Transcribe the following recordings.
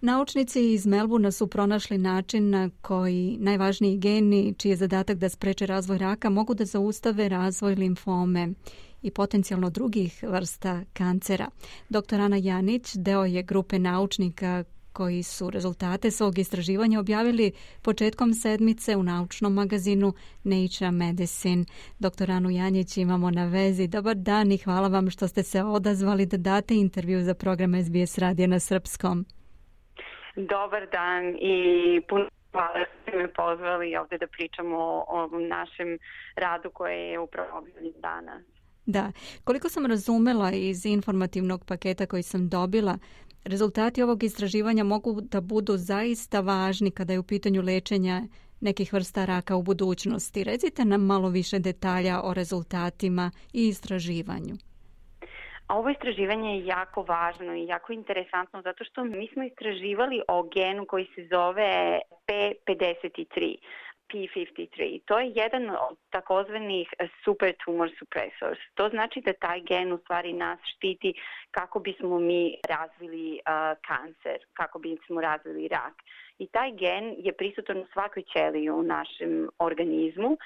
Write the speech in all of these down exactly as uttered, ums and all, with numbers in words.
Naučnici iz Melbourna su pronašli način na koji najvažniji geni, čiji je zadatak da spreče razvoj raka, mogu da zaustave razvoj limfome i potencijalno drugih vrsta kancera. Doktor Ana Janić deo je grupe naučnika koji su rezultate svog istraživanja objavili početkom sedmice u naučnom magazinu Nature Medicine. Doktor Anu Janić imamo na vezi. Dobar dan i hvala vam što ste se odazvali da date intervju za program S B S radija na srpskom. Dobar dan i puno hvala što ste me pozvali ovdje da pričamo o našem radu koje je upravo objavljen danas. Da, koliko sam razumela iz informativnog paketa koji sam dobila, rezultati ovog istraživanja mogu da budu zaista važni kada je u pitanju lečenja nekih vrsta raka u budućnosti. Recite nam malo više detalja o rezultatima i istraživanju. Ovo istraživanje je jako važno i jako interesantno zato što mi smo istraživali o genu koji se zove P pedeset tri. P pedeset tri. To je jedan od takozvanih super tumor suppressors. To znači da taj gen u stvari nas štiti kako bismo mi razvili uh, kancer, kako bismo razvili rak. I taj gen je prisutan u svakoj ćeliji u našem organizmu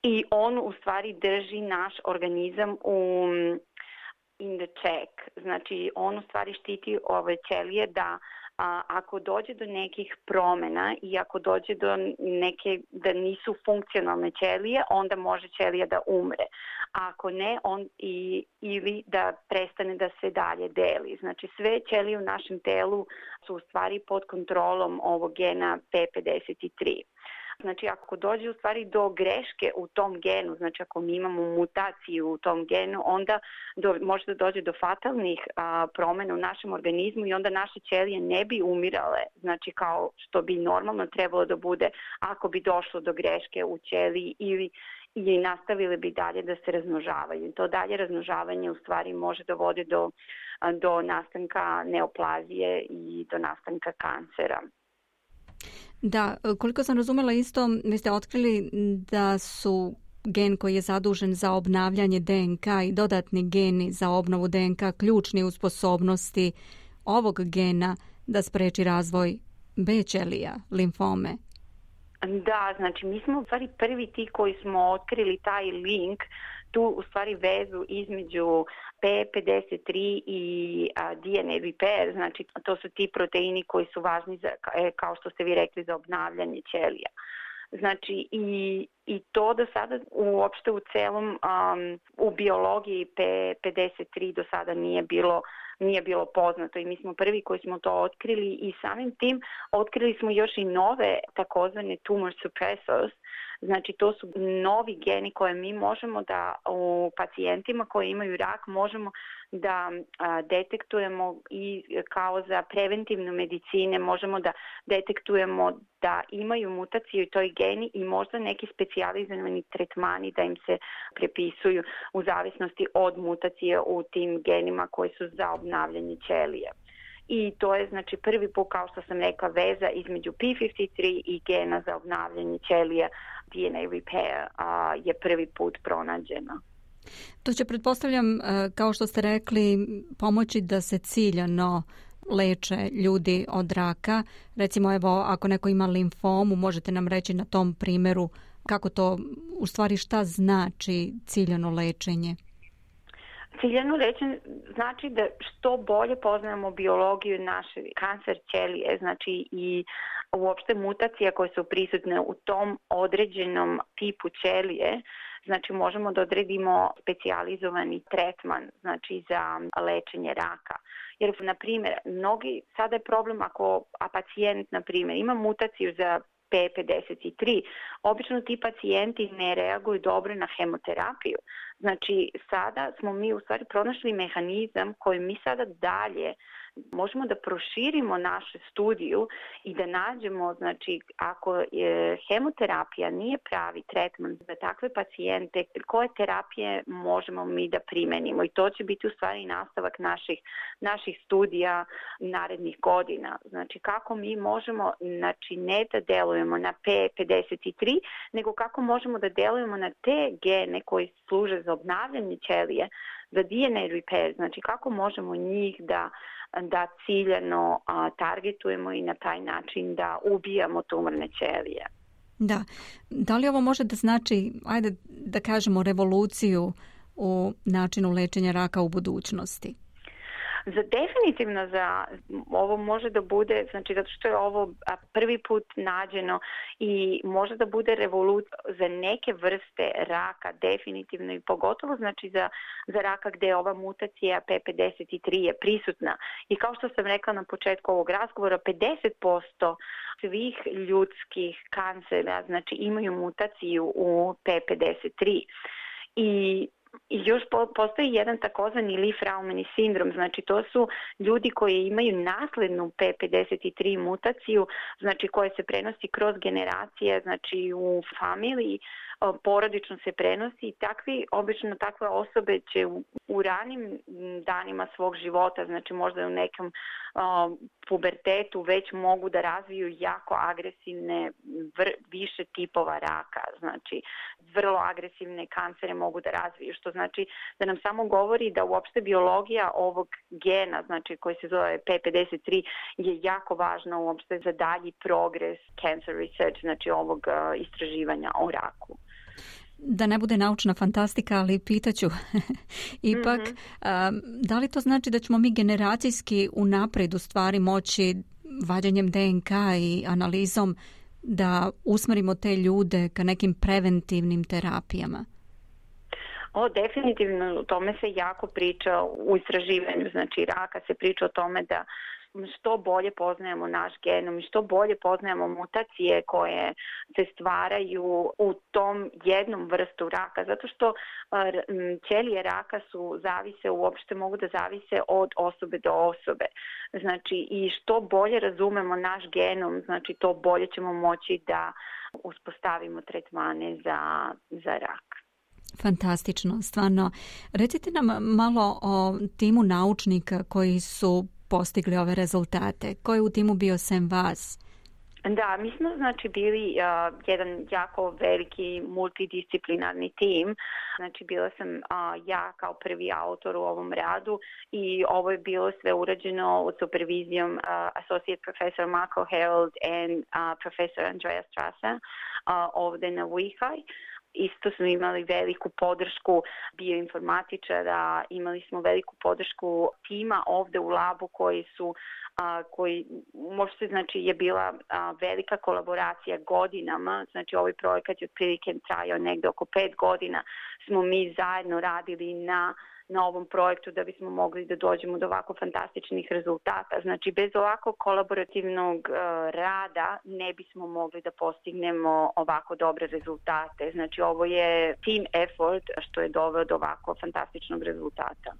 i on u stvari drži naš organizam u in the check. Znači on u stvari štiti ove ćelije da A, ako dođe do nekih promjena i ako dođe do neke da nisu funkcionalne ćelije, onda može ćelija da umre. A ako ne, on i, ili da prestane da se dalje deli. Znači sve ćelije u našem telu su u stvari pod kontrolom ovog gena P pedeset tri. Znači ako dođe u stvari do greške u tom genu, znači ako mi imamo mutaciju u tom genu, onda do, može da dođe do fatalnih a, promjena u našem organizmu i onda naše ćelije ne bi umirale, znači kao što bi normalno trebalo da bude ako bi došlo do greške u ćeliji ili i nastavili bi dalje da se razmnožavaju. To dalje razmnožavanje u stvari može da vodi do, do nastanka neoplazije i do nastanka kancera. Da, koliko sam razumela isto, vi ste otkrili da su gen koji je zadužen za obnavljanje D N K i dodatni geni za obnovu D N K ključni u sposobnosti ovog gena da spreči razvoj B ćelija, limfome. Da, znači mi smo u stvari prvi ti koji smo otkrili taj link, tu u stvari vezu između P pedeset tri i a, D N A repair, znači to su ti proteini koji su važni za, kao što ste vi rekli, za obnavljanje ćelija. Znači i, i to do sada uopšte u celom um, u biologiji P pedeset tri do sada nije bilo nije bilo poznato i mi smo prvi koji smo to otkrili i samim tim otkrili smo još i nove takozvane tumor suppressors. Znači to su novi geni koje mi možemo da u pacijentima koji imaju rak možemo da a, detektujemo i kao za preventivnu medicine možemo da detektujemo da imaju mutaciju i toj geni i možda neki specijalizovani tretmani da im se prepisuju u zavisnosti od mutacije u tim genima koji su za obnavljanje ćelija. I to je znači prvi put, kao što sam rekla, veza između P pedeset tri i gena za obnavljanje ćelija D N A repair a, je prvi put pronađena. To će, pretpostavljam, kao što ste rekli, pomoći da se ciljano leče ljudi od raka. Recimo, evo, ako neko ima limfomu, možete nam reći na tom primjeru kako to, u stvari šta znači ciljano lečenje? Ciljano lečenje znači da što bolje poznajemo biologiju naše kancer ćelije, znači i uopšte mutacije koje su prisutne u tom određenom tipu ćelije, znači možemo da odredimo specijalizovani tretman, znači za lečenje raka. Jer, na primjer, mnogi, sada je problem ako a pacijent, na primjer, ima mutaciju za P pedeset tri, obično ti pacijenti ne reaguju dobro na hemoterapiju. Znači, sada smo mi u stvari pronašli mehanizam koji mi sada dalje možemo da proširimo našu studiju i da nađemo, znači, ako je hemoterapija nije pravi tretman za takve pacijente, koje terapije možemo mi da primenimo i to će biti u stvari nastavak naših, naših studija narednih godina. Znači, kako mi možemo, znači, ne da delujemo na P pedeset tri, nego kako možemo da delujemo na te gene koji služe za obnavljanje ćelije, za D N A repair, znači kako možemo njih da da ciljano a, targetujemo i na taj način da ubijamo tumorne ćelije. Da. Da li ovo može da znači, ajde da kažemo, revoluciju u načinu lečenja raka u budućnosti? Za definitivno za ovo može da bude, znači zato što je ovo prvi put nađeno i može da bude revolucija za neke vrste raka definitivno i pogotovo znači za, za raka gde ova mutacija P pedeset tri je prisutna. I kao što sam rekla na početku ovog razgovora, pedeset posto svih ljudskih kancera znači imaju mutaciju u P pedeset tri. I I još postoji jedan takozvani Li-Fraumeni sindrom, znači to su ljudi koji imaju naslednu P pedeset tri mutaciju, znači koja se prenosi kroz generacije, znači u familiji, porodično se prenosi i takvi, obično takve osobe će u, u ranim danima svog života, znači možda u nekom uh, pubertetu već mogu da razviju jako agresivne vr, više tipova raka, znači vrlo agresivne kancere mogu da razviju, što znači da nam samo govori da uopšte biologija ovog gena, znači koji se zove P pedeset tri, je jako važna uopšte za dalji progres cancer research, znači ovog uh, istraživanja o raku. Da ne bude naučna fantastika, ali pitaću ipak, mm-hmm. a, da li to znači da ćemo mi generacijski unaprijed u stvari moći vađanjem D N K i analizom da usmerimo te ljude ka nekim preventivnim terapijama? O, definitivno, o tome se jako priča u istraživanju, znači raka se priča o tome da što bolje poznajemo naš genom i što bolje poznajemo mutacije koje se stvaraju u tom jednom vrstu raka, zato što ćelije raka su zavise, uopšte mogu da zavise od osobe do osobe. Znači i što bolje razumemo naš genom, znači to bolje ćemo moći da uspostavimo tretmane za, za rak. Fantastično, stvarno. Recite nam malo o timu naučnika koji su postigli ove rezultate. Ko je u timu bio sem vas? Da, mi smo znači bili uh, jedan jako veliki multidisciplinarni tim. Znači bila sam uh, ja kao prvi autor u ovom radu i ovo je bilo sve urađeno u supervizijom uh, Associate Professor Marco Herold and uh, Professor Andrea Strasser uh, ovde na U I H A I. Isto smo imali veliku podršku bioinformatičara, imali smo veliku podršku tima ovde u labu koji su, a, koji možda znači je bila a, velika kolaboracija godinama, znači ovaj projekat je otprilike trajao negde oko pet godina, smo mi zajedno radili na na ovom projektu da bismo mogli da dođemo do ovako fantastičnih rezultata. Znači, bez ovako kolaborativnog uh, rada ne bismo mogli da postignemo ovako dobre rezultate. Znači, ovo je team effort što je doveo do ovako fantastičnog rezultata.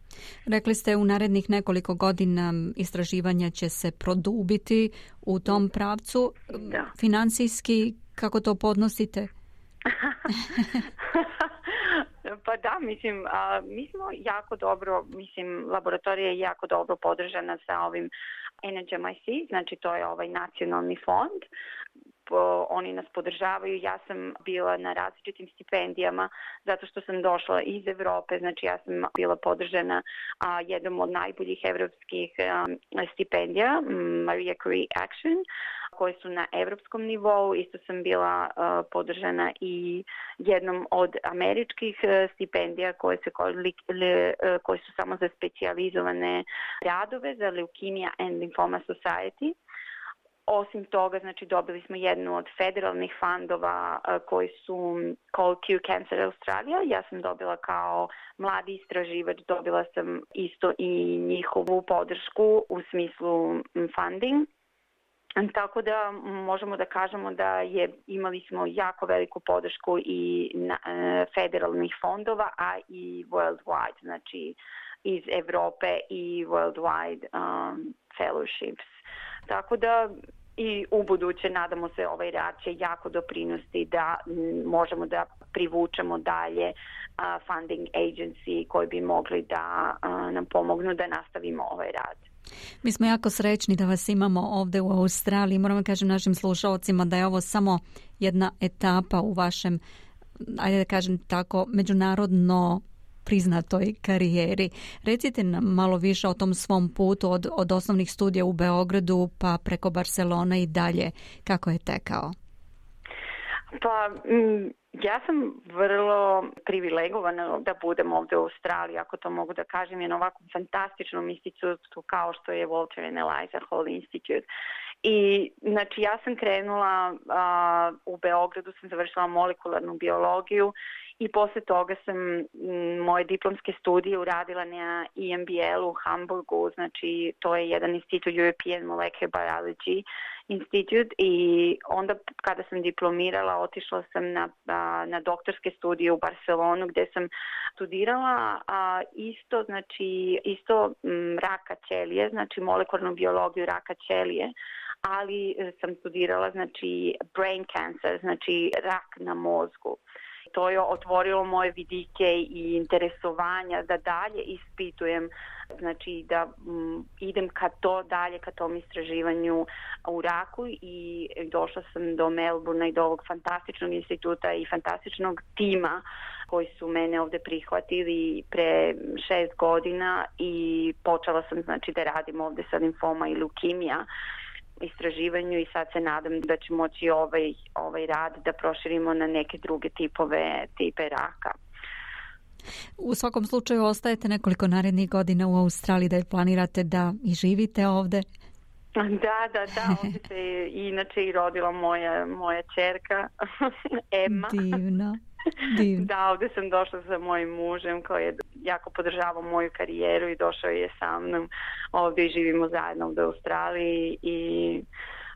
Rekli ste u narednih nekoliko godina istraživanja će se produbiti u tom pravcu. Da. Finansijski, kako to podnosite? Pa da, mislim, a, mi smo jako dobro, mislim, laboratorija je jako dobro podržana sa ovim N H M I C, znači to je ovaj nacionalni fond. Po, oni nas podržavaju, ja sam bila na različitim stipendijama zato što sam došla iz Evrope, znači ja sam bila podržana a, jednom od najboljih evropskih a, stipendija, Maria Curie Action, koje su na evropskom nivou. Isto sam bila uh, podržana i jednom od američkih uh, stipendija koje, se, uh, koje su samo za specijalizovane radove za Leukemia and Lymphoma Society. Osim toga, znači dobili smo jednu od federalnih fondova uh, koji su Called Cure Cancer Australia. Ja sam dobila kao mladi istraživač, dobila sam isto i njihovu podršku u smislu funding. Tako da možemo da kažemo da je imali smo jako veliku podršku i na, e, federalnih fondova, a i worldwide, znači iz Evrope i worldwide um, fellowships. Tako da i u buduće nadamo se ovaj rad će jako doprinosti da m, možemo da privučemo dalje uh, funding agency koji bi mogli da uh, nam pomognu da nastavimo ovaj rad. Mi smo jako srećni da vas imamo ovdje u Australiji. Moram da kažem našim slušalcima da je ovo samo jedna etapa u vašem, ajde da kažem tako, međunarodno priznatoj karijeri. Recite nam malo više o tom svom putu od, od osnovnih studija u Beogradu pa preko Barcelona i dalje. Kako je tekao? Pa, m, ja sam vrlo privilegovana da budem ovde u Australiji, ako to mogu da kažem, je na ovakvom fantastičnom institutu kao što je Walter and Eliza Hall Institute. I, znači, ja sam krenula a, u Beogradu, sam završila molekularnu biologiju i posle toga sam m, moje diplomske studije uradila na E M B L u Hamburgu, znači to je jedan institut European Molecular Biology Institute, i onda kada sam diplomirala otišla sam na, a, na doktorske studije u Barcelonu gde sam studirala a, isto, znači isto m, raka ćelije, znači molekularnu biologiju raka ćelije, ali sam studirala znači brain cancer, znači rak na mozgu. To je otvorilo moje vidike i interesovanja da dalje ispitujem, znači da m, idem ka to dalje, ka tom istraživanju u raku, i došla sam do Melbourna i do ovog fantastičnog instituta i fantastičnog tima koji su mene ovde prihvatili pre šest godina i počela sam znači da radim ovde sa limfoma i leukemija istraživanju, i sad se nadam da će moći ovaj, ovaj rad da proširimo na neke druge tipove, tipe raka. U svakom slučaju ostajete nekoliko narednih godina u Australiji, da planirate da i živite ovde? Da, da, da, ovdje se inače i rodila moja, moja ćerka Emma. Divno. Divno. Da, ovdje sam došla sa mojim mužem koji je jako podržavao moju karijeru i došao je sa mnom ovdje i živimo zajedno u Australiji, i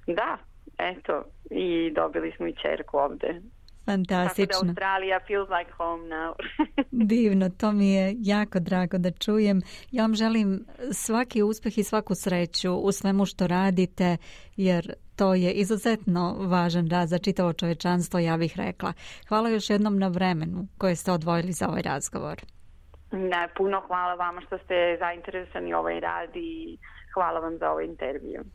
da, eto, i dobili smo i ćerku ovdje. Fantastično. Tako da Australija feels like home now. Divno, to mi je jako drago da čujem. Ja vam želim svaki uspjeh i svaku sreću u svemu što radite, jer to je izuzetno važan rad za čitavo čovečanstvo, ja bih rekla. Hvala još jednom na vremenu koje ste odvojili za ovaj razgovor. Da, puno hvala vama što ste zainteresovani ovaj rad i hvala vam za ovaj intervju.